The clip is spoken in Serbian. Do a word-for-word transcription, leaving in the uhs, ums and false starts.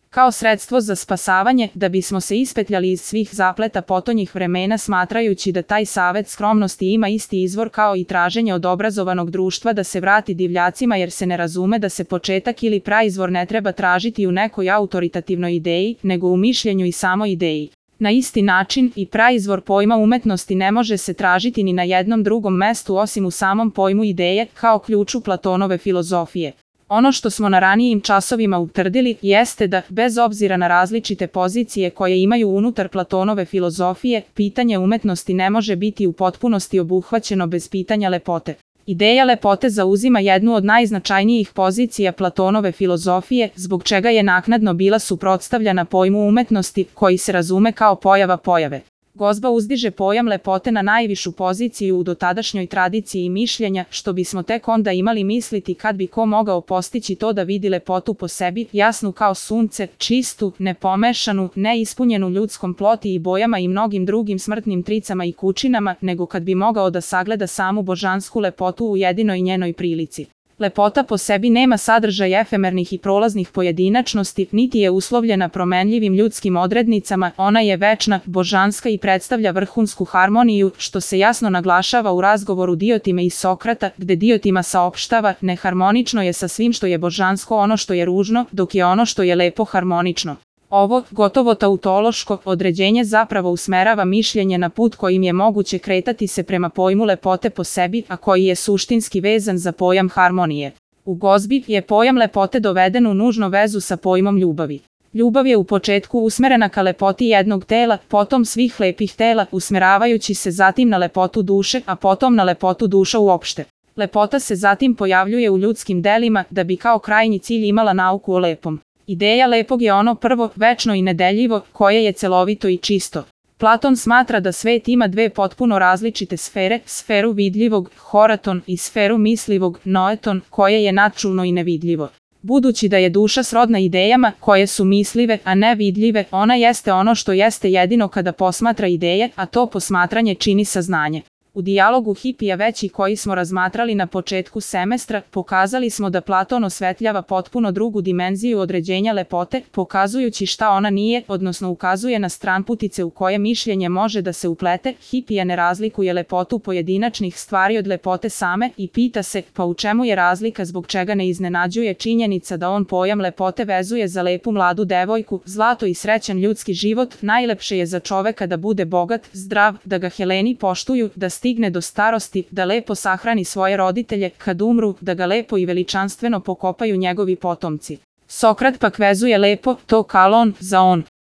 kao sredstvo za spasavanje, da bismo se ispetljali iz svih zapleta potonjih vremena, smatrajući da taj savet skromnosti ima isti izvor kao i traženje od obrazovanog društva da se vrati divljacima, jer se ne razume da se početak ili praizvor ne treba tražiti u nekoj autoritativnoj ideji, nego u mišljenju i samoj ideji. Na isti način i praizvor pojma umetnosti ne može se tražiti ni na jednom drugom mestu osim u samom pojmu ideje, kao ključu Platonove filozofije. Ono što smo na ranijim časovima utvrdili jeste da, bez obzira na različite pozicije koje imaju unutar Platonove filozofije, pitanje umetnosti ne može biti u potpunosti obuhvaćeno bez pitanja lepote. Ideja lepote zauzima jednu od najznačajnijih pozicija Platonove filozofije, zbog čega je naknadno bila suprotstavljana pojmu umetnosti, koji se razume kao pojava pojave. Gozba uzdiže pojam lepote na najvišu poziciju u dotadašnjoj tradiciji mišljenja, što bismo tek onda imali misliti kad bi ko mogao postići to da vidi lepotu po sebi, jasnu kao sunce, čistu, nepomešanu, neispunjenu ljudskom ploti i bojama i mnogim drugim smrtnim tricama i kućinama, nego kad bi mogao da sagleda samu božansku lepotu u jedinoj njenoj prilici. Lepota po sebi nema sadržaj efemernih i prolaznih pojedinačnosti, niti je uslovljena promenljivim ljudskim odrednicama, ona je večna, božanska i predstavlja vrhunsku harmoniju, što se jasno naglašava u razgovoru Diotime i Sokrata, gde Diotima saopštava: neharmonično je sa svim što je božansko ono što je ružno, dok je ono što je lepo harmonično. Ovo, gotovo tautološko, određenje zapravo usmerava mišljenje na put kojim je moguće kretati se prema pojmu lepote po sebi, a koji je suštinski vezan za pojam harmonije. U Gozbi je pojam lepote doveden u nužnu vezu sa pojmom ljubavi. Ljubav je u početku usmerena ka lepoti jednog tela, potom svih lepih tela, usmeravajući se zatim na lepotu duše, a potom na lepotu duša uopšte. Lepota se zatim pojavljuje u ljudskim delima, da bi kao krajnji cilj imala nauku o lepom. Ideja lepog je ono prvo, večno i nedeljivo, koje je celovito i čisto. Platon smatra da svet ima dve potpuno različite sfere, sferu vidljivog, horaton, i sferu mislivog, noeton, koje je nadčulno i nevidljivo. Budući da je duša srodna idejama, koje su mislive, a ne vidljive, ona jeste ono što jeste jedino kada posmatra ideje, a to posmatranje čini saznanje. U dijalogu Hipija veći koji smo razmatrali na početku semestra, pokazali smo da Platon osvetljava potpuno drugu dimenziju određenja lepote, pokazujući šta ona nije, odnosno ukazuje na stranputice u koje mišljenje može da se uplete. Hipija ne razlikuje lepotu pojedinačnih stvari od lepote same i pita se, pa u čemu je razlika, zbog čega ne iznenađuje činjenica da on pojam lepote vezuje za lepu mladu devojku, zlato i srećan ljudski život. Najlepše je za čoveka da bude bogat, zdrav, da ga Heleni poštuju, da stigne do starosti, da lepo sahrani svoje roditelje, kad umru, da ga lepo i veličanstveno pokopaju njegovi potomci. Sokrat pak vezuje lepo, to kalon, za on.